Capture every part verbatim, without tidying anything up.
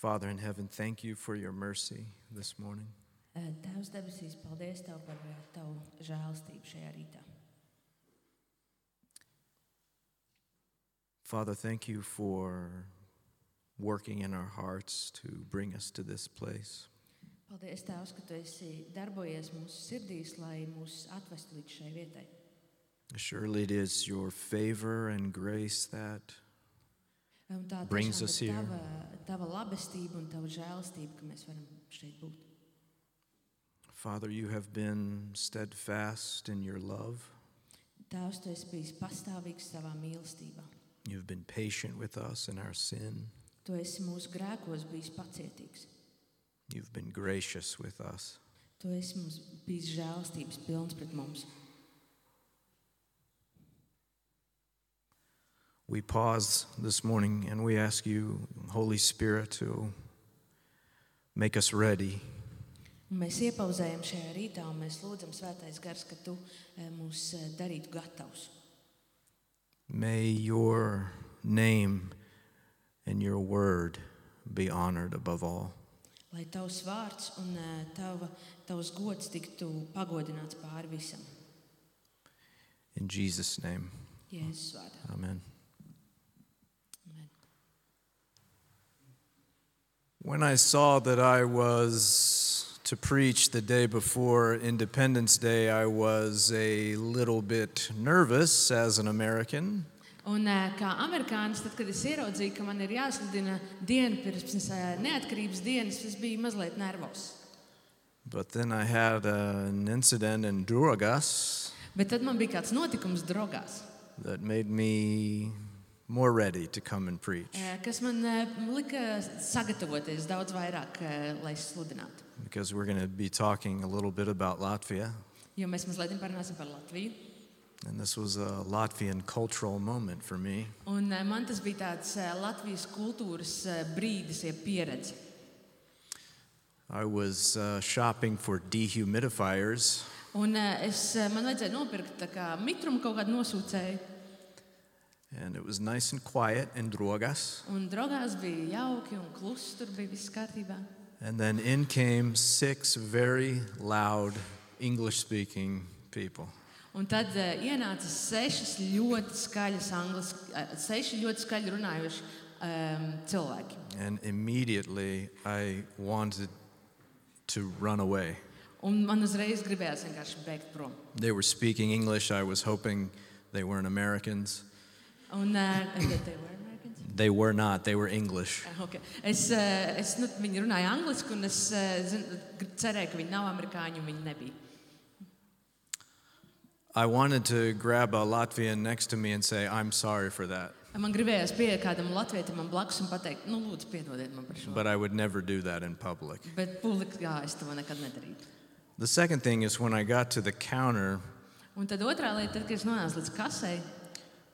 Father in heaven, thank you for your mercy this morning. Tēvs debesīs, paldies Tev par Tavu žēlastību šajā rītā. Father, thank you for working in our hearts to bring us to this place. Paldies Tēvs, ka Tu esi darbojies mūsu sirdīs, lai mūs atvestu līdz šai vietai. Surely it is your favor and grace that Un tā brings tiešām us ir here. tava, tava labestība un Tava žēlastība, ka mēs varam šeit būt. Father, you have been steadfast in your love. Tēvs, Tu esi bijis pastāvīgs savā mīlestībā. You've been patient with us in our sin. Tu esi mūsu grēkos bijis pacietīgs. You've been gracious with us. Tu esi mums bijis žēlastības pilns pret mums. We pause this morning and we ask you, Holy Spirit, to make us ready. Un mēs iepauzējam šajā rītā un mēs lūdzam Svētais Gars, ka Tu eh, mūs eh, darītu gatavus. May your name and your word be honored above all. Lai Tavs vārds un eh, tava, Tavs gods tiktu pagodināts pāri visam. In Jesus' name, Jēzus vārdā. amen. Amen. When I saw that I was to preach the day before Independence Day, I was a little bit nervous as an American. Un eh, kā amerikānis, tad, kad es ieraudzīju, ka man ir jāsludina diena pirms eh, neatkarības dienas, es biju mazliet nervos. But then I had uh, an incident in Drogas Bet tad man bija kāds notikums Drogās, that made me more ready to come and preach. eh, kas man eh, lika sagatavoties daudz vairāk, eh, lai sludinātu. Because we're going to be talking a little bit about Latvia. Jo mēs mazliet parunāsim par Latviju. And this was a Latvian cultural moment for me. Un eh, man tas bija tāds eh, Latvijas kultūras eh, brīdis, jeb pieredze. I was uh, shopping for dehumidifiers, Un eh, es, eh, man vajadzēja nopirkt tā kā mitrumu kaut kādu nosūcēju. and it was nice and quiet in Drogas. Un Drogās bija jauki un klusi, tur bija viss kārtībā. And then in came six very loud English-speaking people. Un tad uh, ienāca sešas ļoti skaļas anglis, uh, seši ļoti skaļi runājoši um, cilvēki. And immediately I wanted to run away. Un man uzreiz gribējās vienkārši bēgt prom. They were speaking English. I was hoping they weren't Americans. Un uh, they were Americans? They were not. They were English. Uh, okay. Es, uh, es, nu, viņi runāja angliski, un es uh, zin, cerēju, ka viņi nav amerikāņi, un viņi nebija. I wanted to grab a Latvian next to me and say, I'm sorry for that. Man gribējās pieiet kādam latvietim man blakus un pateikt, nu, lūdzu, piedodiet man par šo. But I would never do that in public. Bet publikā es to nekad nedarītu. The second thing is when I got to the counter, Un tad otrā lieta, tad, kad es nonācu līdz kasei,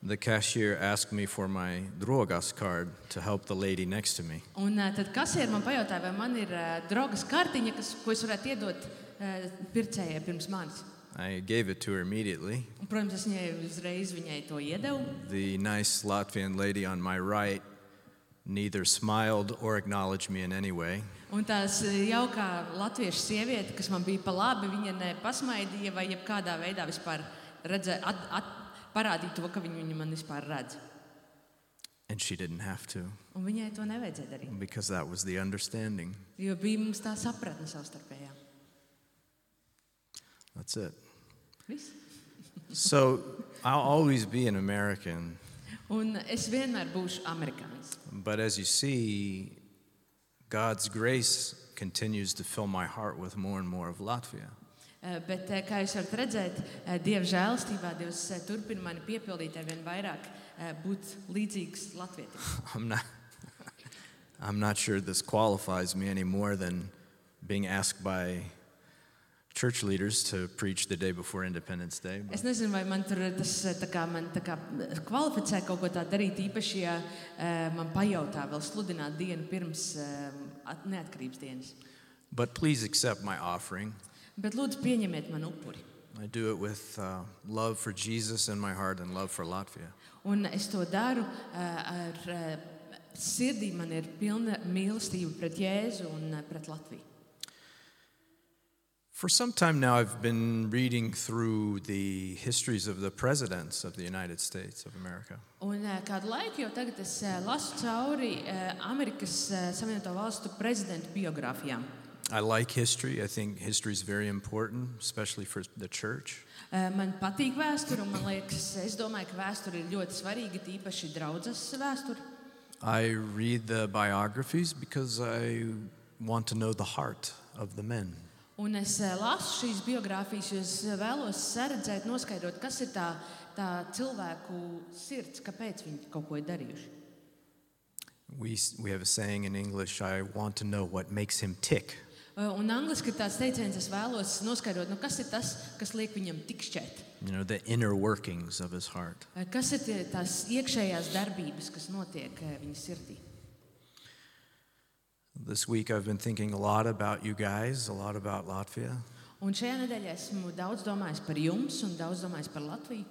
the cashier asked me for my Drogas card to help the lady next to me. un uh, tad kasieri man pajautāja, vai man ir uh, drogas kartiņa, kas, ko es varētu iedot uh, pircējai pirms manis. I gave it to her immediately. Un, protams, es viņai uzreiz viņai to iedevu. The nice Latvian lady on my right neither smiled or acknowledged me in any way. Un tās jaukā latviešu sieviete, kas man bija pa labi, viņa ne pasmaidīja vai jebkādā veidā vispār redzē, at, at, parādīja to, ka viņa, viņa man vispār redz. And she didn't have to, Un viņai to nevajadzēja darīt, because that was the understanding. jo bija mums tā sapratne savstarpējā. That's it. Viss. So I'll always be an American, Un es vienmēr būšu amerikānis. but as you see, God's grace continues to fill my heart with more and more of Latvia. Uh, Bet, uh, kā jūs varat redzēt, uh, Dieva žēlastībā Dievs uh, turpina mani piepildīt ar vien vairāk uh, būt līdzīgs latvietim. I'm not I'm not sure this qualifies me any more than being asked by church leaders to preach the day before Independence Day. Es nezinu, vai man tur tas uh, tā kā, man, tā kā kvalificē kaut ko tādu darīt, īpaši, ja uh, man pajautā vēl sludināt dienu pirms uh, neatkarības dienas. But please accept my offering. Bet lūdzu pieņemiet man upuri. I do it with uh, love for Jesus in my heart and love for Latvia. Un es to daru uh, ar uh, sirdī man ir pilna mīlestība pret Jēzu un uh, pret Latviju. For some time now, I've been reading through the histories of the presidents of the United States of America. Un uh, kādu laiku jau tagad es uh, lasu cauri uh, Amerikas uh, Savienoto Valstu prezidentu biogrāfijām. I like history. I think history is very important, especially for the church. Uh, man patīk vēsture, un man liekas, es domāju, ka vēsture ir ļoti svarīga, tīpaši draudzes vēsture. I read the biographies because I want to know the heart of the men. Un es uh, lasu šīs biogrāfijas, jo es vēlos saredzēt, noskaidrot, kas ir tā, tā cilvēku sirds, kāpēc viņi kaut ko ir darījuši. We, we have a saying in English, I want to know what makes him tick. Uh, un angliski ir tāds teiciens, es vēlos noskaidrot, nu, kas ir tas, kas liek viņam tikšķēt. You know, the inner workings of his heart. Uh, kas ir tie, tās iekšējās darbības, kas notiek uh, viņa sirdī. This week I've been thinking a lot about you guys, a lot about Latvia. Un šajā nedēļā esmu daudz domājis par jums un daudz domājis par Latviju.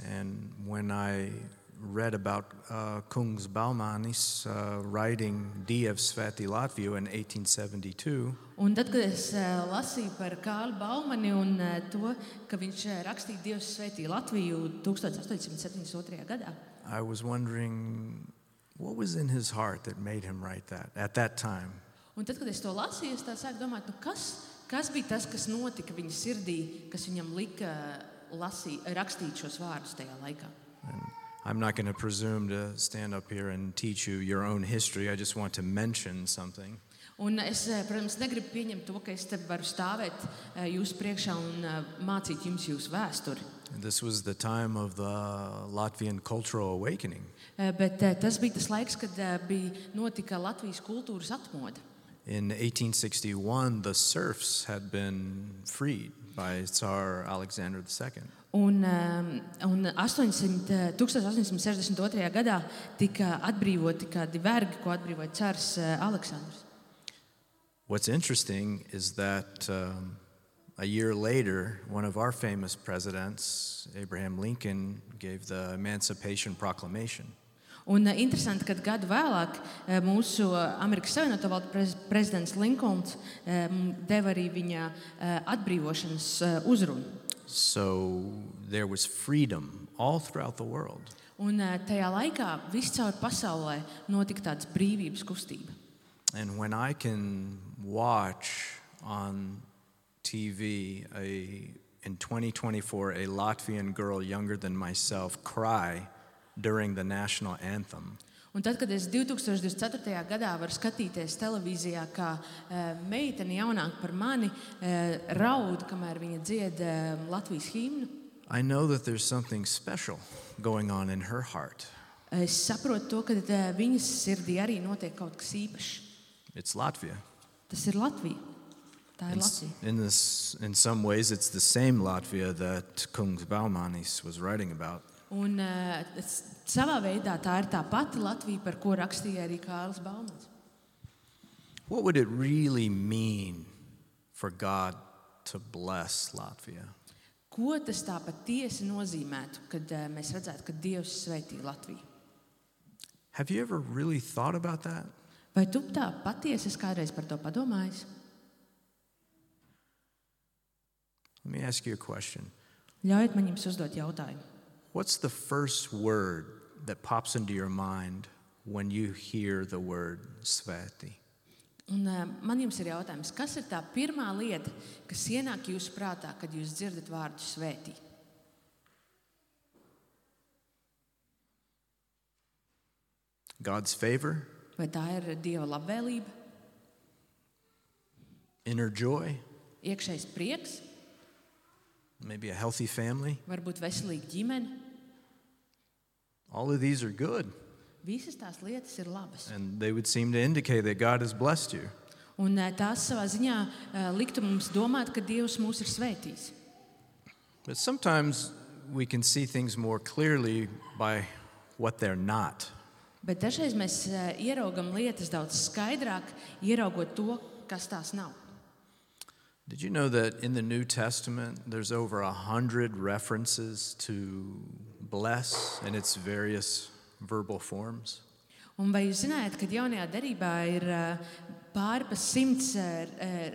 And when I read about uh, Kungs Baumanis uh, writing Diev Svētī Latviju in eighteen seventy-two, Un tad, kad es uh, lasīju par Kārli Baumani un uh, to, ka viņš uh, rakstīja Dievs svētī Latviju astoņdesmit septiņdesmit otrajā gadā, I was wondering what was in his heart that made him write that at that time. un tad, kad es to lasīju, es tā sāku domāt, nu kas, kas bija tas, kas notika viņa sirdī, kas viņam lika lasī, rakstīt šos vārdus tajā laikā. And I'm not going to presume to stand up here and teach you your own history. I just want to mention something. Un es, uh, protams, negribu pieņemt to, ka es te varu stāvēt uh, jūsu priekšā un uh, mācīt jums jūsu vēsturi. This was the time of the Latvian cultural awakening. Uh, bet uh, tas bija tas laiks, kad uh, bija notika Latvijas kultūras atmoda. In eighteen sixty-one, the serfs had been freed by Tsar Alexander the Second. Un, um, un astoņsimt, astoņdesmit sešdesmit otrajā gadā tika atbrīvoti kādi vergi, ko atbrīvoja cars uh, Aleksandrs. What's interesting is that um, a year later, one of our famous presidents, Abraham Lincoln, gave the Emancipation Proclamation. Un uh, interesanti, ka gadu vēlāk uh, mūsu uh, Amerikas Savienoto Valstu prez, prezidents Linkolns um, deva arī viņa uh, atbrīvošanas uh, uzrunu. So there was freedom all throughout the world. Un uh, tajā laikā viscaur pasaulē notika tāds brīvības kustība. And when I can watch on T V a, in twenty twenty-four a Latvian girl younger than myself cry during the national anthem, Un tad, kad es divtūkstoš divdesmit ceturtajā gadā varu skatīties televīzijā, kā uh, meitene jaunāka par mani uh, raud, kamēr viņa dzied uh, Latvijas himnu, I know that there's something special going on in her heart. es saprotu to, ka uh, viņas sirdī arī notiek kaut kas īpašs. It's Latvia. Tas ir Latvija. Tā ir In, Latvija. in, this, in some ways, it's the same Latvia that Kungs Baumanis was writing about. Un uh, es, savā veidā tā ir tā pati Latvija, par ko rakstīja arī Kārlis Baumans. What would it really mean for God to bless Latvia? Ko tas tā patiesi nozīmētu, kad uh, mēs redzētu, ka Dievs svētī Latviju? Have you ever really thought about that? Vai tu tā patiesi esi kādreiz par to padomājis? Let me ask you a question. Ļaujiet man jums uzdot jautājumu. What's the first word that pops into your mind when you hear the word svētī? Un, uh, man jums ir jautājums, kas ir tā pirmā lieta, kas ienāk jūsu prātā, kad jūs dzirdat vārdu svētī? God's favor? Vai tā ir Dieva labvēlība, Inner joy? iekšējs prieks, Maybe a healthy family? varbūt veselīga ģimene? All of these are good, Visas tās lietas ir labas. and they would seem to indicate that God has blessed you. Un uh, tās savā ziņā uh, liktu mums domāt, ka Dievs mūs ir svētījis. But sometimes we can see things more clearly by what they're not. Bet dažreiz mēs uh, ieraugam lietas daudz skaidrāk, ieraugot to, kas tās nav. Did you know that in the New Testament there's over a hundred references to bless in its various verbal forms? Un vai jūs zinājāt, ka jaunajā derībā ir uh, pāri pa simts uh,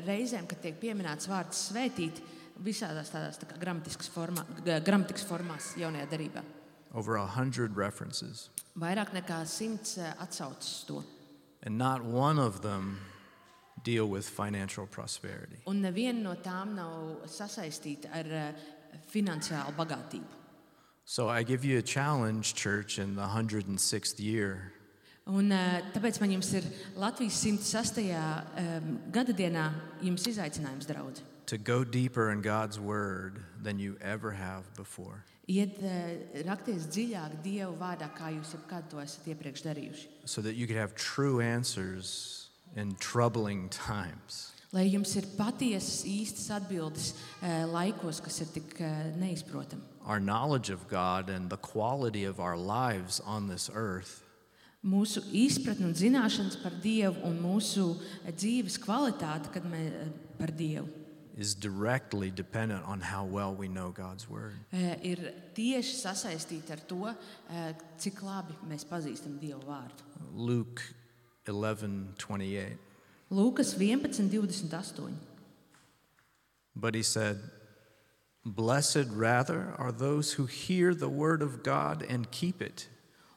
reizēm, kad tiek pieminēts vārds svētīt visādās tādās tā kā gramatiskas formā, gramatikas formās jaunajā derībā? Over a hundred references. Vairāk nekā simts uh, atsaucas uz to. And not one of them deal with financial prosperity. Un neviena no tām nav sasaistīta ar uh, finansiālu bagātību. So I give you a challenge, church, in the one hundred sixth year. Un, uh, tāpēc man jums ir Latvijas simt sastajā um, gadadienā jums izaicinājums, draudzi. To go deeper in God's word than you ever have before. Iet uh, rakties dziļāk Dieva vārdā, kā jūs jebkad to esat iepriekš darījuši. So that you could have true answers in troubling times. Lai jums ir patiesas, īstas atbildes uh, laikos, kas ir tik uh, neizprotami. Our knowledge of God and the quality of our lives on this earth Mūsu izpratne un zināšanas par Dievu un mūsu dzīves kvalitāte, kad mēs par Dievu, is directly dependent on how well we know God's word. ir tieši sasaistīta ar to, cik labi mēs pazīstam Dievu vārdu. Luke eleven twenty-eight. Lūkas vienpadsmit divdesmit astoņi. But he said, "Blessed rather are those who hear the word of God and keep it."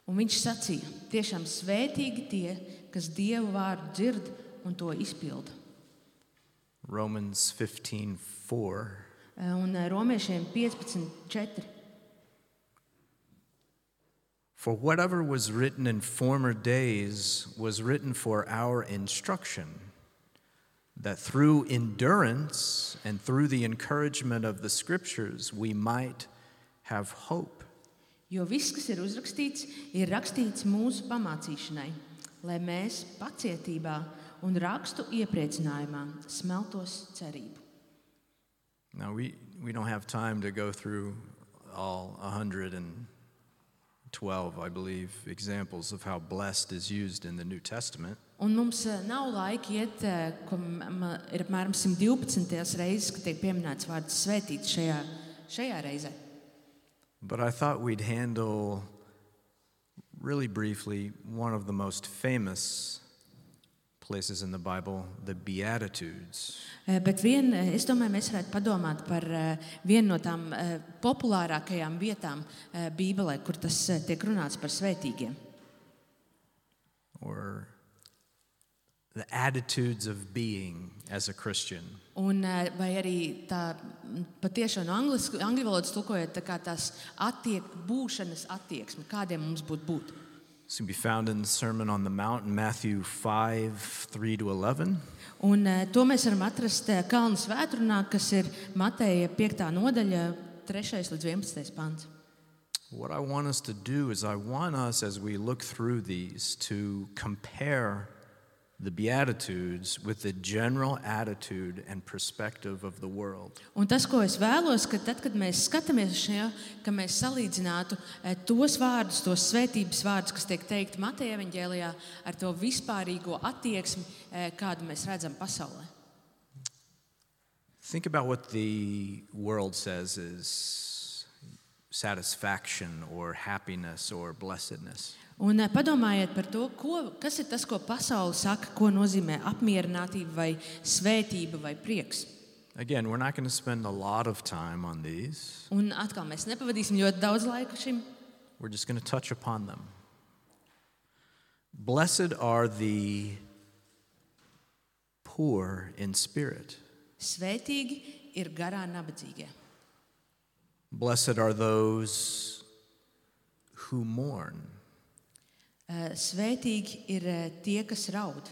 Un viņš sacīja, tiešām svētīgi tie, kas Dievu vārdu dzird un to izpilda. Romans fifteen four. Un Romiešiem piecpadsmit četri. For whatever was written in former days was written for our instruction, that through endurance and through the encouragement of the scriptures we might have hope. Jo viss, kas ir uzrakstīts, ir rakstīts mūsu pamācīšanai, lai mēs pacietībā un rakstu iepriecinājumā smeltos cerību. Now, we, we don't have time to go through all one hundred twelve, I believe, examples of how blessed is used in the New Testament. Un mums nav laika iet, ko ir apmēram simt divpadsmit reizes, kad tiek pieminēts vārds svētīts šajā, šajā reizē. But I thought we'd handle, really briefly, one of the most famous places in the Bible, the Beatitudes. Bet vien, es domāju, mēs varētu padomāt par vienu no tām populārākajām vietām Bībelē, kur tas tiek runāts par svētīgiem. Or the attitudes of being as a Christian. Un vai arī tā patiešām no angļu angļu valodas tulkojot, tā kā tās attiek, būšanas attieksme, kādiem mums būtu būt. This can be found in the Sermon on the Mount in Matthew five three to eleven. Un to mēs varam atrast Kalnu svētrunā, kas ir Mateja piektā nodaļa, trešais līdz vienpadsmitais pants. What I want us to do is I want us, as we look through these, to compare the Beatitudes with the general attitude and perspective of the world. Un tas, ko es vēlos, ka tad, kad mēs skatāmies uz šo, ka mēs salīdzinātu tos vārdus, tos svētības vārdus, kas tiek teikti Mateja evaņģēlijā, ar to vispārīgo attieksmi, kādu mēs redzam pasaulē. Think about what the world says is satisfaction or happiness or blessedness. Un padomājiet par to, ko, kas ir tas, ko pasaule saka, ko nozīmē apmierinātība vai svētība vai prieks. Again, we're not going to spend a lot of time on these. Un atkal mēs nepavadīsim ļoti daudz laika šim. We're just going to touch upon them. Blessed are the poor in spirit. Svētīgi ir garā nabadzīgie. Blessed are those who mourn. Svētīgi ir tie, kas raud.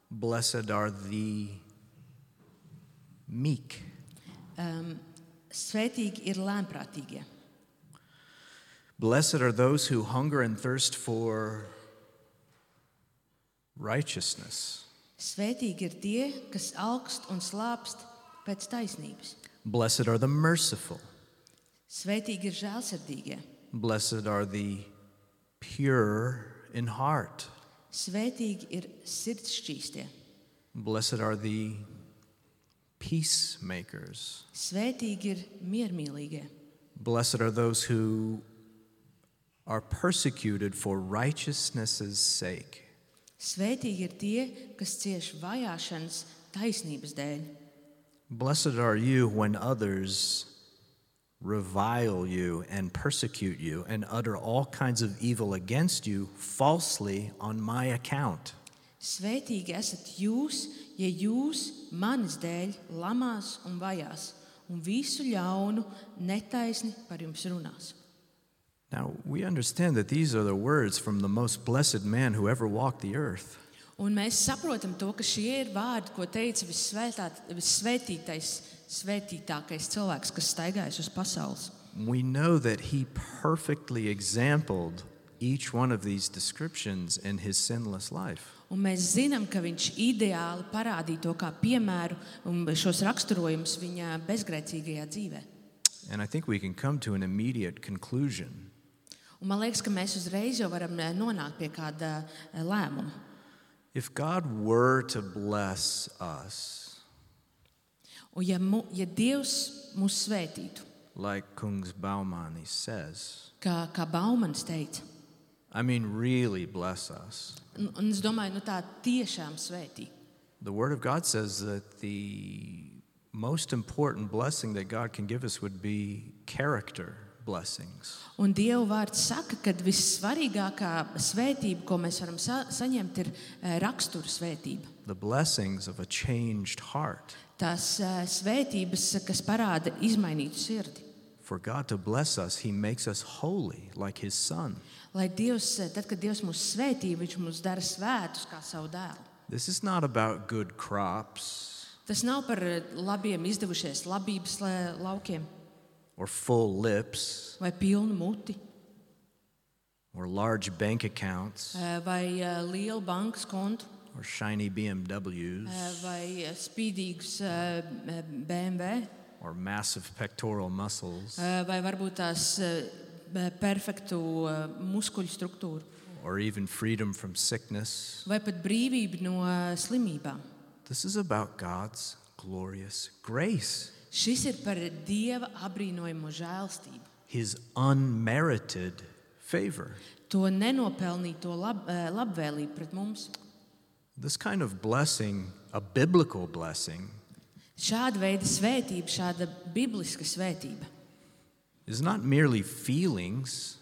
Blessed are the meek. Um, svētīgi ir lēnprātīgie. Blessed are those who hunger and thirst for righteousness. Svētīgi ir tie, kas alkst un slāpst pēc taisnības. Blessed are the merciful. Svētīgi ir žēlsirdīgie. Blessed are the pure in heart. Svētīgi ir sirdsšķīstie. Blessed are the peacemakers. Svētīgi ir miermīlīgie. Blessed are those who are persecuted for righteousness' sake. Svētīgi ir tie, kas cieš vajāšanas taisnības dēļ. Blessed are you when others revile you and persecute you and utter all kinds of evil against you falsely on my account. Svētīgi esat jūs, ja jūs manis dēļ lamās un vajās, un visu ļaunu netaisni par jums runās. Now, we understand that these are the words from the most blessed man who ever walked the earth. Un mēs saprotam to, ka šie ir vārdi, ko teica vissvētītais, svētītākais cilvēks, kas staigājas uz pasaules. We know that he perfectly exampled each one of these descriptions in his sinless life. Un mēs zinām, ka viņš ideāli parādīja to kā piemēru un šos raksturojumus viņa bezgrēcīgajā dzīvē. And I think we can come to an immediate conclusion. Un man liekas, ka mēs uzreiz jau varam nonākt pie kāda lēmuma. If God were to bless us, un ja, mu, ja Dievs mūs svētītu, like Kungs Baumanis says, kā, kā Baumanis teica, I mean really bless us. un, un es domāju, nu tā tiešām svētī. The Word of God says that the most important blessing that God can give us would be character blessings. Un Dieva vārds saka, ka vissvarīgākā svētība, ko mēs varam sa- saņemt, ir eh, rakstura svētība. The blessings of a changed heart. Tās eh, svētības, kas parāda izmainītu sirdi. For God to bless us, He makes us holy like His Son. Lai Dievs, eh, tad, kad Dievs mūs svētī, viņš mūs dara svētus kā savu dēlu. This is not about good crops Tas nav par eh, labiem izdevušies labības la- laukiem or full lips vai pilnu muti or large bank accounts eh, vai eh, lielu bankas kontu or shiny B M Ws eh, vai eh, spīdīgus eh, B M W or massive pectoral muscles eh, vai varbūt tās eh, perfektu eh, muskuļu struktūru or even freedom from sickness. vai pat brīvību no eh, slimībām. This is about God's glorious grace, Šis ir par Dieva abrīnojamo žēlstību. His unmerited favor. To nenopelnīto lab, eh, labvēlību pret mums. This kind of blessing, a biblical blessing, Šāda veida svētība, šāda bibliska svētība, is not merely feelings,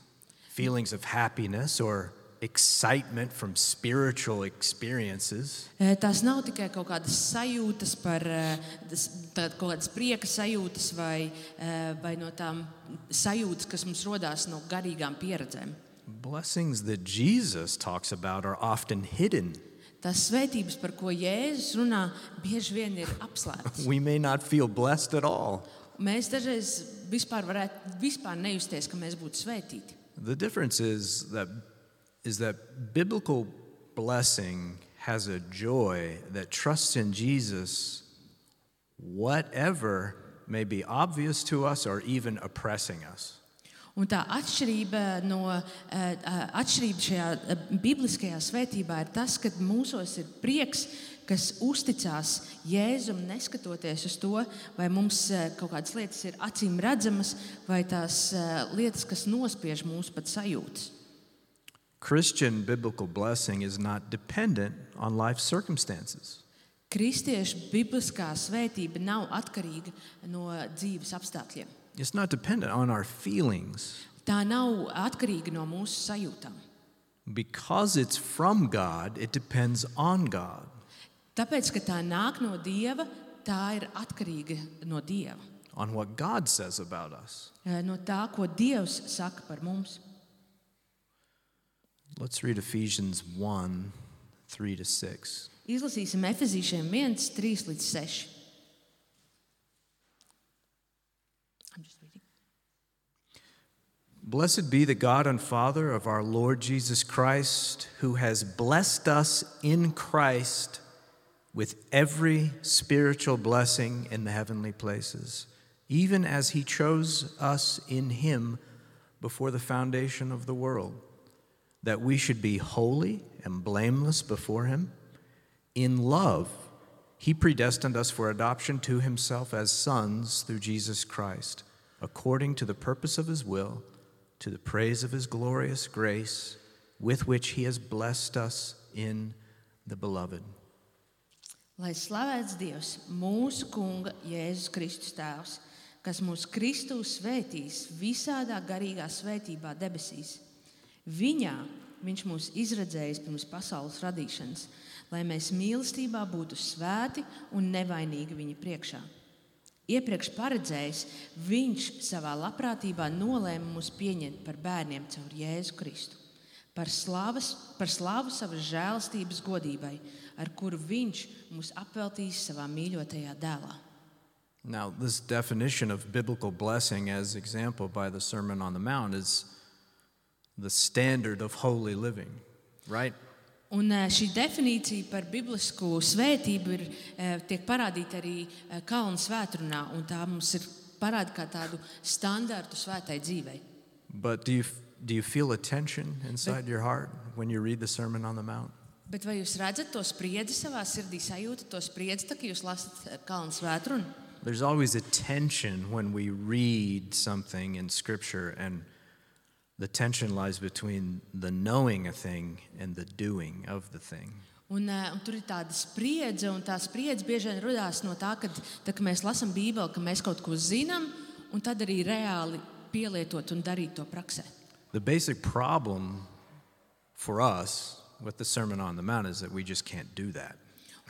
feelings of happiness or excitement from spiritual experiences. Eh, tās nav tikai kaut kādas sajūtas par eh, tas- tā- kaut kādas prieka sajūtas vai, eh, vai no tām sajūtas, kas mums rodās no garīgām pieredzēm. Blessings that Jesus talks about are often hidden. Tās svētības, par ko Jēzus runā, bieži vien ir apslēptas. We may not feel blessed at all. Mēs dažreiz vispār varētu vispār nejusties, ka mēs būtu svētīti. The difference is that is that biblical blessing has a joy that trusts in Jesus, whatever may be obvious to us or even oppressing us. Un tā atšķirība, no, eh, atšķirība šajā eh, bibliskajā svētībā ir tas, ka mūsos ir prieks, kas uzticās Jēzum, neskatoties uz to, vai mums eh, kaut kādas lietas ir acīm redzamas, vai tās eh, lietas, kas nospiež mūsu pat sajūtas. Christian biblical blessing is not dependent on life circumstances. Kristiešu bibliskā svētība nav atkarīga no dzīves apstākļiem. It's not dependent on our feelings. Tā nav atkarīga no mūsu sajūtām. Because it's from God, it depends on God. Tāpēc, ka tā nāk no Dieva, tā ir atkarīga no Dieva. On what God says about us. Eh, No tā, ko Dievs saka par mums. Let's read Ephesians one, three to six. Izlasīsim Efezīšiem viens, trīs līdz seši. I'm just reading. Blessed be the God and Father of our Lord Jesus Christ, who has blessed us in Christ with every spiritual blessing in the heavenly places, even as he chose us in him before the foundation of the world, that we should be holy and blameless before him. In love, he predestined us for adoption to himself as sons through Jesus Christ, according to the purpose of his will, to the praise of his glorious grace, with which he has blessed us in the beloved. Lai slavēts Dievs, mūsu Kunga Jēzus Kristus tēvs, kas mūs Kristū svētīs visādā garīgā svētībā debesīs. Viņā viņš mūs izredzējis pirms pasaules radīšanas, lai mēs mīlestībā būtu svēti un nevainīgi viņa priekšā. Iepriekš paredzējis, viņš savā labprātībā nolēma mūs pieņemt par bērniem caur Jēzu Kristu, par, slavas, par slavu savas žēlastības godībai, ar kuru viņš mūs apveltīs savā mīļotajā dēlā. Now, this definition of biblical blessing as example by the Sermon on the Mount is the standard of holy living, right? Un šī definīcija par biblisku svētību ir, tiek parādīta arī Kalna svētrunā, un tā mums ir parāda kā tādu standartu svētai dzīvei. But do you, do you feel a tension inside your heart when you read the Sermon on the Mount? Bet vai jūs redzat to spriedzi savā sirdī, sajūtat to spriedzi, tā, ka jūs lasat Kalna svētrunu? There's always a tension when we read something in Scripture, and the tension lies between the knowing a thing and the doing of the thing. Un, un tur ir tāda spriedze, un tā spriedze bieži vien radās no tā, kad, tā, ka mēs lasām Bībeli, ka mēs kaut ko zinām, un tad arī reāli pielietot un darīt to praksē. The basic problem for us with the Sermon on the Mount is that we just can't do that.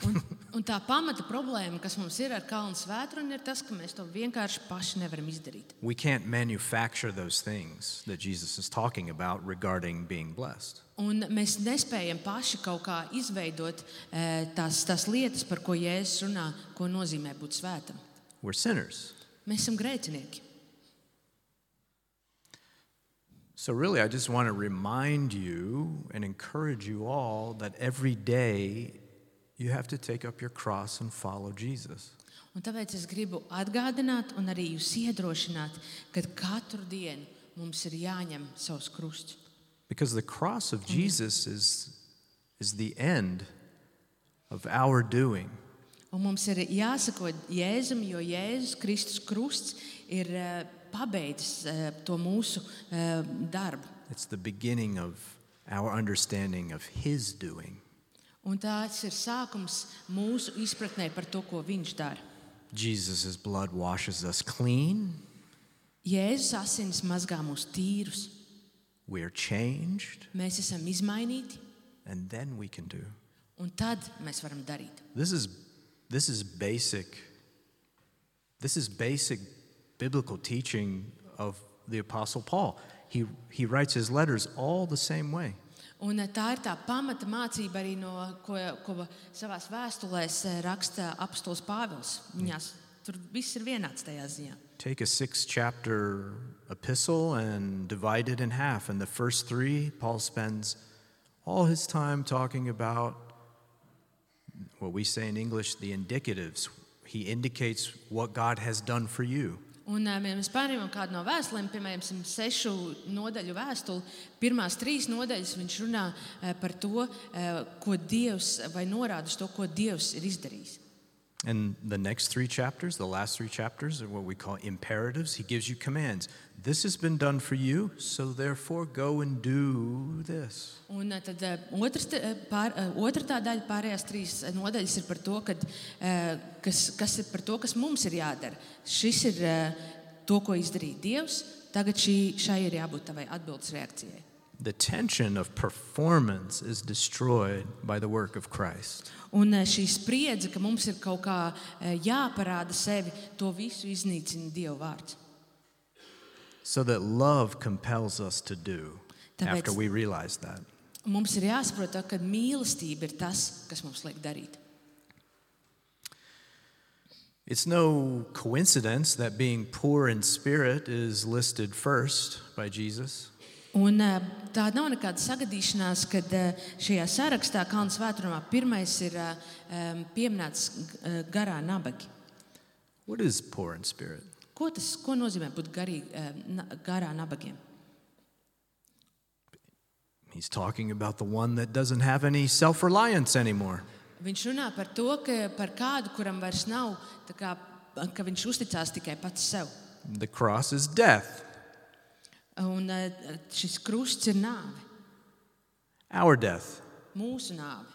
Un, un tā pamata problēma, kas mums ir ar Kalna svētrunu, ir tas, ka mēs to vienkārši paši nevaram izdarīt. We can't manufacture those things that Jesus is talking about regarding being blessed. Un mēs nespējam paši kaut kā izveidot tās, tās lietas, par ko Jēzus runā, ko nozīmē būt svētam. We're sinners. Mēs esam grēcinieki. So really, I just want to remind you and encourage you all that every day you have to take up your cross and follow Jesus. Un tāpēc es gribu atgādināt un arī jūs iedrošināt, ka katru dienu mums ir jāņem savs krusts. Because the cross of Jesus is, is the end of our doing. Un mums ir jāsako Jēzum, jo Jēzus Kristus krusts ir uh, pabeidzis uh, to mūsu uh, darbu. It's the beginning of our understanding of his doing. Un tāds ir sākums mūsu izpratnē par to, ko viņš dara. Jesus' blood washes us clean. Jēzus asinis mazgā mūs tīrus. We are changed. Mēs esam izmainīti. And then we can do. Un tad mēs varam darīt. This is, this is basic. This is basic biblical teaching of the Apostle Paul. He, he writes his letters all the same way. Un tā ir tā pamata mācība arī, no, ko, ko savās vēstulēs raksta apostols Pāvils. Viņās tur viss ir vienāds tajā ziņā. Take a six-chapter epistle and divide it in half. And the first three, Paul spends all his time talking about what we say in English, the indicatives. He indicates what God has done for you. Un mēs pārņemam kādu no vēstulēm, piemēram, sešu nodaļu vēstuli. Pirmās trīs nodaļas viņš runā par to, ko Dievs, vai norāda uz to, ko Dievs ir izdarījis. And the next three chapters, the last three chapters, are what we call imperatives. He gives you commands. This has been done for you, so therefore go and do this. Un tad otrs, pār, otra tā daļa, pārējās trīs nodaļas ir par to, kad, kas, kas ir par to, kas mums ir jādara. Šis ir to, ko izdarīja Dievs. Tagad šī, šai ir jābūt tavai atbildes reakcijai. The tension of performance is destroyed by the work of Christ. Un šī spriedze, ka mums ir kaut kā jāparāda sevi, to visu iznīcina Dieva vārds. So that love compels us to do. Tāpēc after we realize that. Mums ir jāsaprot, ka mīlestība ir tas, kas mums liek darīt. It's no coincidence that being poor in spirit is listed first by Jesus. Un tā nav nekāda sagadīšanās, kad šajā sarakstā Kalna svētrunā pirmais ir pieminēts garā nabagi. What is poor in spirit? Ko tas ko nozīmē būt garī, garā nabagiem? He's talking about the one that doesn't have any self-reliance anymore. Viņš runā par to, ka par kādu, kuram vairs nav, tā kā, ka viņš uzticās tikai pats sev. The cross is death. Un eh, šis krusts ir nāve, Our death. mūsu nāve.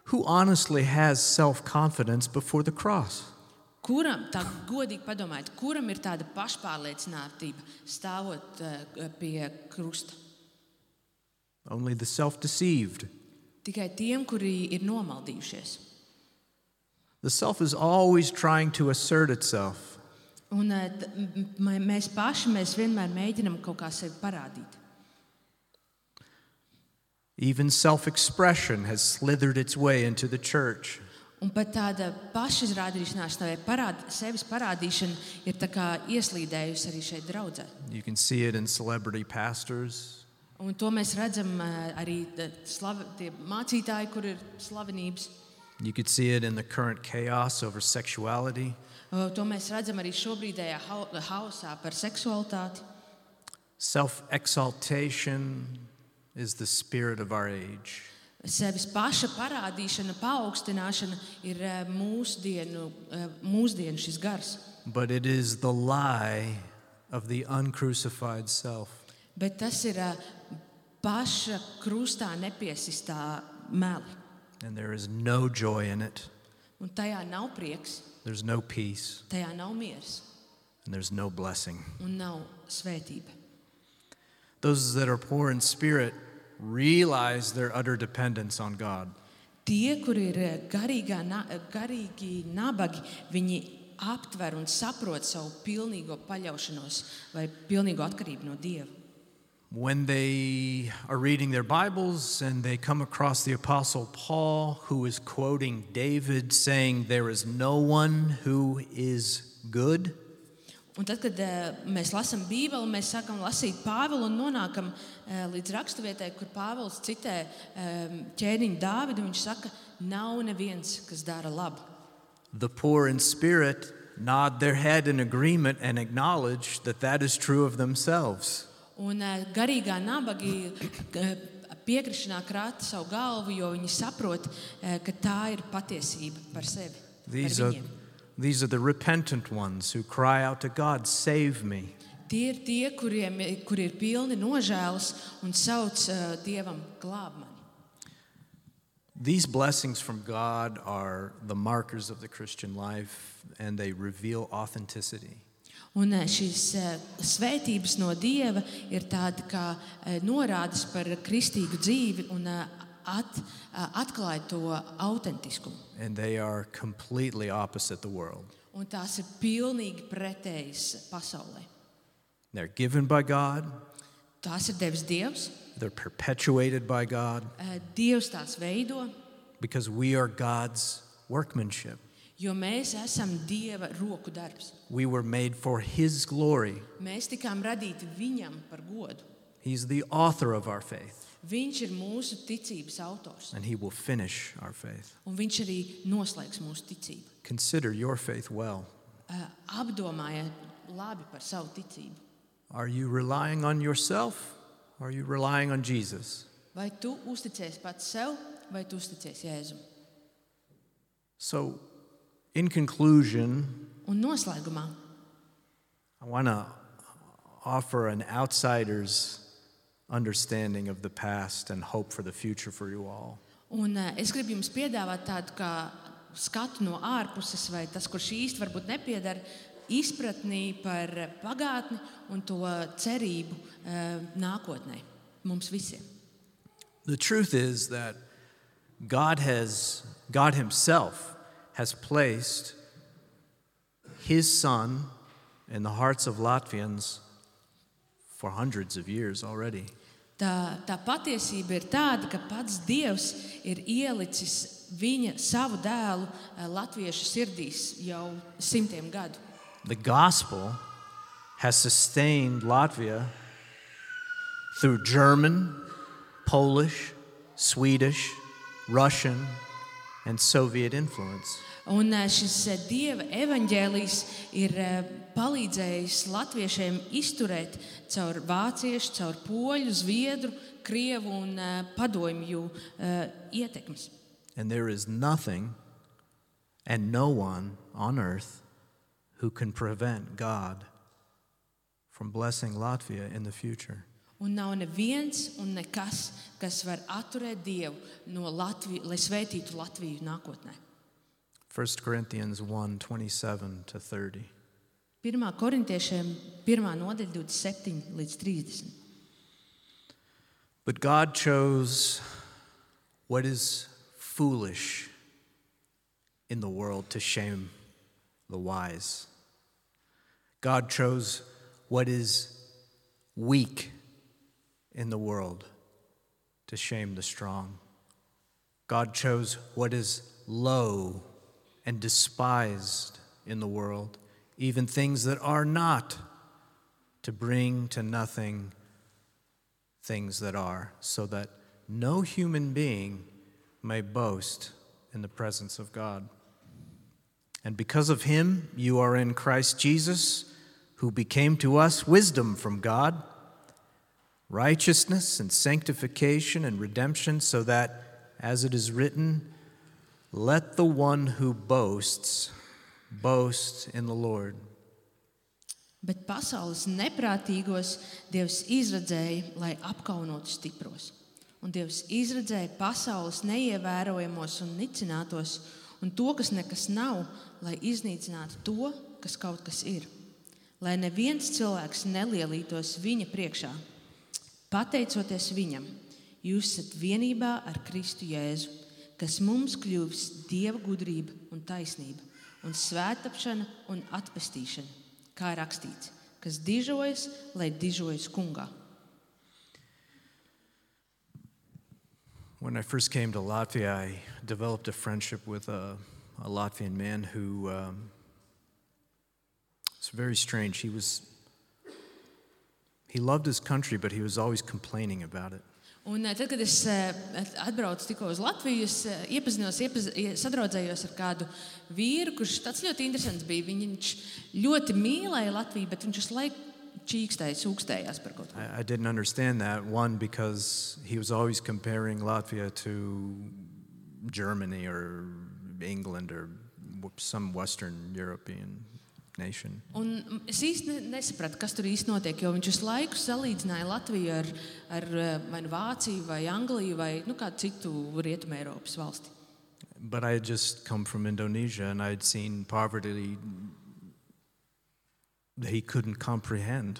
Who honestly has self-confidence before the cross? Kuram, tā godīgi padomājiet, kuram ir tāda pašpārliecinātība stāvot uh, pie krusta? Only the self-deceived. Tikai tiem, kuri ir nomaldījušies. The self is always trying to assert itself. Un uh, t- m- m- mēs paši mēs vienmēr mēģinam kaut kā sevi parādīt. Even self-expression has slithered its way into the church. Un pat tāda pašizrādīšanās, vai parād, sevis parādīšana ir tā kā ieslīdējusi arī šeit draudzē. You can see it in celebrity pastors. Un to mēs redzam uh, arī t- slav, tie mācītāji, kur ir slavenības. You could see it in the current chaos over sexuality. Uh, To mēs redzam arī šobrīdējā hau- hausā par seksualitāti. Self-exaltation is the spirit of our age. Sevis paša parādīšana, paaugstināšana ir uh, mūsdienu, uh, mūsdienu šis gars. But it is the lie of the uncrucified self. Bet tas ir uh, paša krustā nepiesistā meli. And there is no joy in it. Un tajā nav prieks, There's no peace. tajā nav miers And there's no blessing. un nav svētība. Those that are poor in spirit realize their utter dependence on God. Tie, kuri ir uh, garīgā, na- garīgi nabagi, viņi aptver un saprot savu pilnīgo paļaušanos vai pilnīgo atkarību no Dieva. When they are reading their Bibles and they come across the Apostle Paul, who is quoting David, saying, "There is no one who is good," Un tad, kad uh, mēs lasām Bībeli, mēs sākam lasīt Pāvilu un nonākam uh, līdz raksturvietai, kur Pāvils citē um, ķēniņu Dāvidu. Viņš saka, nav neviens, kas dara labu. the poor in spirit nod their head in agreement and acknowledge that that is true of themselves. Un uh, garīgā nabagi uh, piekrišanā krāta savu galvu, jo viņi saprot, uh, ka tā ir patiesība par sevi. These par are, viņiem. these are the repentant ones who cry out to God, "Save me." Tie ir tie, kuriem, kuri ir pilni nožēlas un sauc uh, Dievam, glāb mani. These blessings from God are the markers of the Christian life, and they reveal authenticity. Un uh, šīs uh, svētības no Dieva ir tāda kā uh, norādes par kristīgu dzīvi un uh, at, uh, atklāja to autentiskumu. And they are completely opposite the world. Un tās ir pilnīgi pretējas pasaulē. They're given by God, Tās ir devis Dievs. they're perpetuated by God, Uh, Dievs tās veido, because we are God's workmanship. jo mēs esam Dieva roku darbs. We were made for His glory. Mēs tikām radīti Viņam par godu. He's the author of our faith, Viņš ir mūsu ticības autors. and He will finish our faith. Un viņš arī noslēgs mūsu ticību. Consider your faith well. Uh, Apdomājiet labi par savu ticību. Are you relying on yourself, or are you relying on Jesus? Vai tu uzticies pats sev, vai tu uzticies Jēzum? So, in conclusion, Un noslēgumā I want to offer an outsider's understanding of the past and hope for the future for you all. un, uh, es gribu jums piedāvāt tādu kā skatu no ārpuses, vai tas, kurš īsti varbūt nepiedara, izpratnī par pagātni un to cerību uh, nākotnē mums visiem. The truth is that God has, God Himself has placed His Son in the hearts of Latvians for hundreds of years already. Tā, tā patiesība ir tāda, ka pats Dievs ir ielicis viņa savu dēlu uh, latviešu sirdīs jau simtiem gadu. The gospel has sustained Latvia through German, Polish, Swedish, Russian, and Soviet influence. Un uh, šis uh, Dieva evaņģēlijs ir uh, palīdzējis latviešiem izturēt caur vāciešu, caur poļu, zviedru, krievu un uh, padomju uh, ietekmes. And there is nothing and no one on earth who can prevent God from blessing Latvia in the future. Un nav neviens un nekas, kas var atturēt Dievu no Latvijas, lai svētītu Latviju nākotnē. First Corinthians one, twenty-seven to thirty. Pirmā korintiešiem pirmā nodaļa divdesmit septiņi līdz trīsdesmit. But God chose what is foolish in the world to shame the wise. God chose what is weak in the world to shame the strong. God chose what is low and despised in the world, even things that are not, to bring to nothing things that are, so that no human being may boast in the presence of God. And because of him, you are in Christ Jesus, who became to us wisdom from God, righteousness and sanctification and redemption, so that, as it is written, let the one who boasts boast in the Lord. Bet pasaules neprātīgos Dievs izradzēja, lai apkaunotu stipros. Un Dievs izradzēja pasaules neievērojamos un nicinātos, un to, kas nekas nav, lai iznīcinātu to, kas kaut kas ir. Lai neviens cilvēks nelielītos viņa priekšā. Pateicoties viņam, jūs esat vienībā ar Kristu Jēzu, kas mums kļuvis Dieva gudrība un taisnība, un svētapšana un atpestīšana, kā rakstīts, kas dižojas, lai dižojas kungā. When I first came to Latvia, I developed a friendship with a, a Latvian man who um, was very strange. He was he loved his country, but he was always complaining about it. Un tad, kad es atbraucu tikko uz Latviju, es iepazinos, iepaz, sadraudzējos ar kādu vīru, kurš tāds ļoti interesants bija. Viņš ļoti mīlēja Latviju, bet viņš visu laiku čīkstēja, sūkstējās par kaut ko. I, I didn't understand that. One, because he was always comparing Latvia to Germany or England or some Western European nation. Un es īsti nesapratu, kas tur īsti notiek, jo viņš visu laiku salīdzināja Latviju ar, ar vai nu Vāciju vai Angliju vai nu, kādu citu Rietumē Eiropas valsti. But I had just come from Indonesia and I had seen poverty that he couldn't comprehend.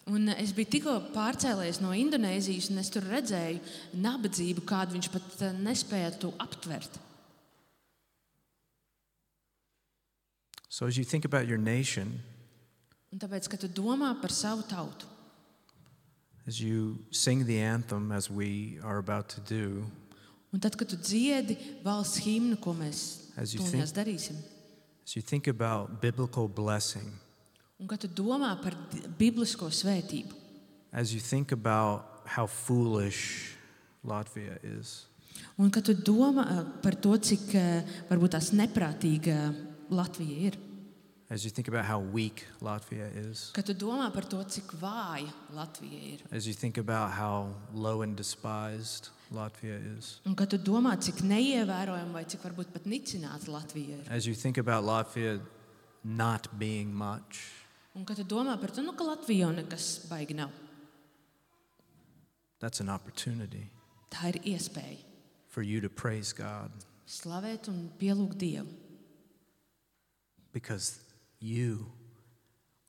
Un es biju tikko pārcēlies no Indonēzijas un es tur redzēju nabadzību, kādu viņš pat nespēja aptvert. So as you think about your nation, un tāpēc, kad tu domā par savu tautu, as you sing the anthem as we are about to do, un tad, kad tu dziedi valsts himnu, ko mēs tūlīt darīsim, as you think about biblical blessing, un kad tu domā par biblisko svētību, as you think about how foolish Latvia is, un kad tu domā par to, cik varbūt tās neprātīga Latvija ir. As you think about how weak Latvia is. Kad tu domā par to, cik vāja Latvija ir. As you think about how low and despised Latvia is. Un kad tu domā, cik neievērojama vai cik varbūt pat nicināta Latvija ir. As you think about Latvia not being much. Un kad tu domā par to, nu, ka Latvija jau nekas baigi nav. That's an opportunity. Tā ir iespēja. For you to praise God. Slavēt un pielūgt Dievu. Because you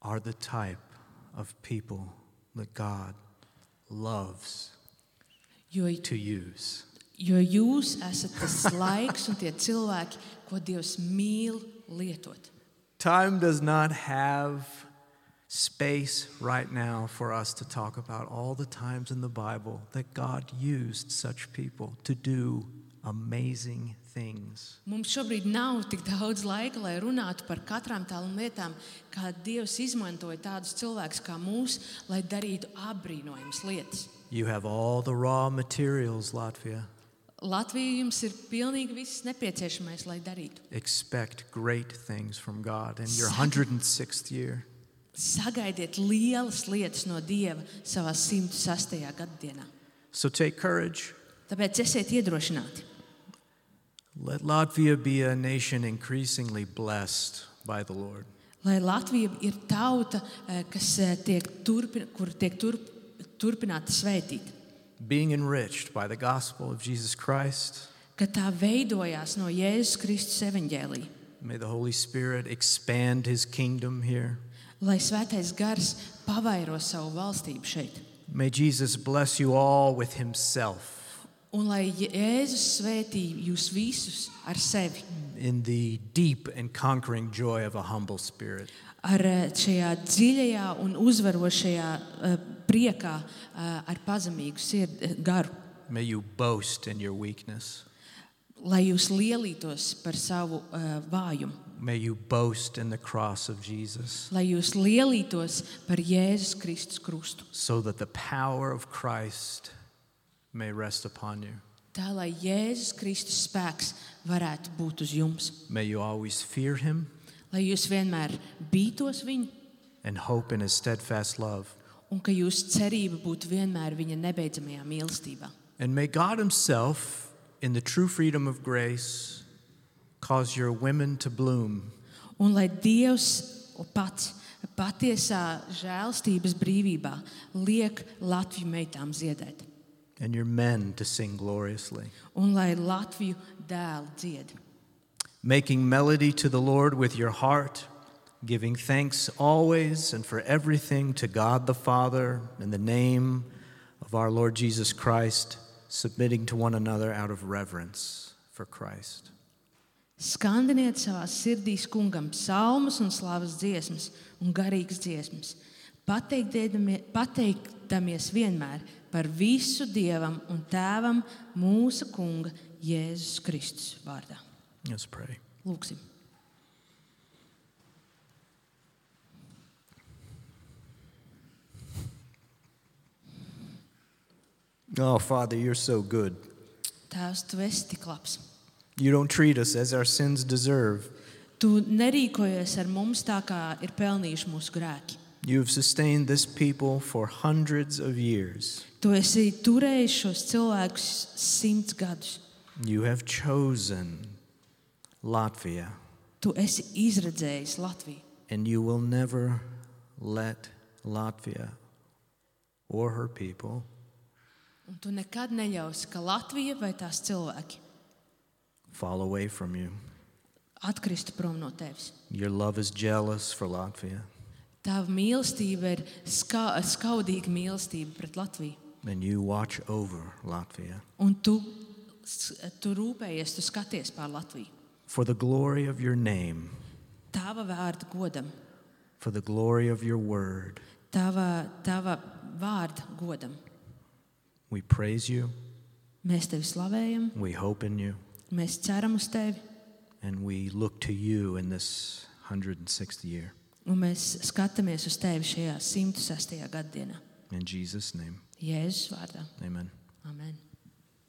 are the type of people that God loves jo, to use. Jo jūs esat tas laiks un tie cilvēki, ko Dievs mīl lietot. Time does not have space right now for us to talk about all the times in the Bible that God used such people to do amazing things. Mums šobrīd nav tik daudz laika, lai runātu par katrām tādām lietām, kā Dievs izmantoja tādus cilvēkus kā mūs, lai darītu apbrīnojamas lietas. You have all the raw materials, Latvia. Latvija jums ir pilnīgi viss nepieciešamais, lai darītu. Expect great things from God in your one hundred sixth year. Sagaidiet lielas lietas no Dieva savā simt sastajā gaddienā. So take courage. Tāpēc esiet iedrošināti. Let Latvia be a nation increasingly blessed by the Lord. Lai Latvija ir tauta, kas tiek turpin, kur tiek turp, turpināta svētīt. being enriched by the gospel of Jesus Christ. Ka tā veidojās no Jēzus Kristus evaņģēlija. May the Holy Spirit expand his kingdom here. Lai Svētais Gars pavairo savu valstību šeit. May Jesus bless you all with himself Un lai Jēzus svētī jūs visus ar sevi. in the deep and conquering joy of a humble spirit. Ar šajā dziļajā un uzvarošajā uh, priekā uh, ar pazemīgu sirdi garu. May you boast in your weakness. Lai jūs lielītos par savu uh, vājumu. May you boast in the cross of Jesus, Lai jūs lielītos par Jēzus Kristus krustu. so that the power of Christ may rest upon you. Tā, lai Jēzus Kristus spēks varētu būt uz jums. May you always fear him Lai jūs vienmēr bītos viņu and hope in his steadfast love. un ka jūsu cerība būtu vienmēr viņa nebeidzamajā mīlestībā. And may God himself, in the true freedom of grace, cause your women to bloom. Un lai Dievs pats patiesā žēlstības brīvībā liek Latviju meitām ziedēt. And your men to sing gloriously, Un lai Latviju dēli dzied. making melody to the Lord with your heart, giving thanks always and for everything to God the Father in the name of our Lord Jesus Christ, submitting to one another out of reverence for Christ. Skandiniet savās sirdīs kungam psalmus un slavas dziesmas un garīgas dziesmas, pateikdamies vienmēr par visu Dievam un Tēvam mūsu kunga Jēzus Kristus vārdā. Let's pray. Lūksim. Oh, Father, you're so good. Tēvs, tu esi tik labs. You don't treat us as our sins deserve. Tu nerīkojies ar mums tā, kā ir pelnījuši mūsu grēki. You have sustained this people for hundreds of years. Tu esi turējis šos cilvēkus simts gadus. You have chosen Latvia, Tu esi izredzējis Latviju. and you will never let Latvia or her people Un tu nekad neļausi, ka Latvija vai tās cilvēki fall away from you. atkristu prom no tevis. Your love is jealous for Latvia, Tava mīlestība ir ska, skaudīga mīlestība pret Latviju. and you watch over Latvia. Un tu, tu rūpējies, tu skaties pār Latviju. For the glory of your name, Tava vārda godam, for the glory of your word, tava, tava vārda godam. we praise you, Mēs tevi slavējam, we hope in you, mēs ceram uz tevi, and we look to you in this one hundred sixth year. un mēs skatāmies uz tevi šajā simt sestajā gaddienā. In Jesus' name, Jēzus vārdā. amen. Amen.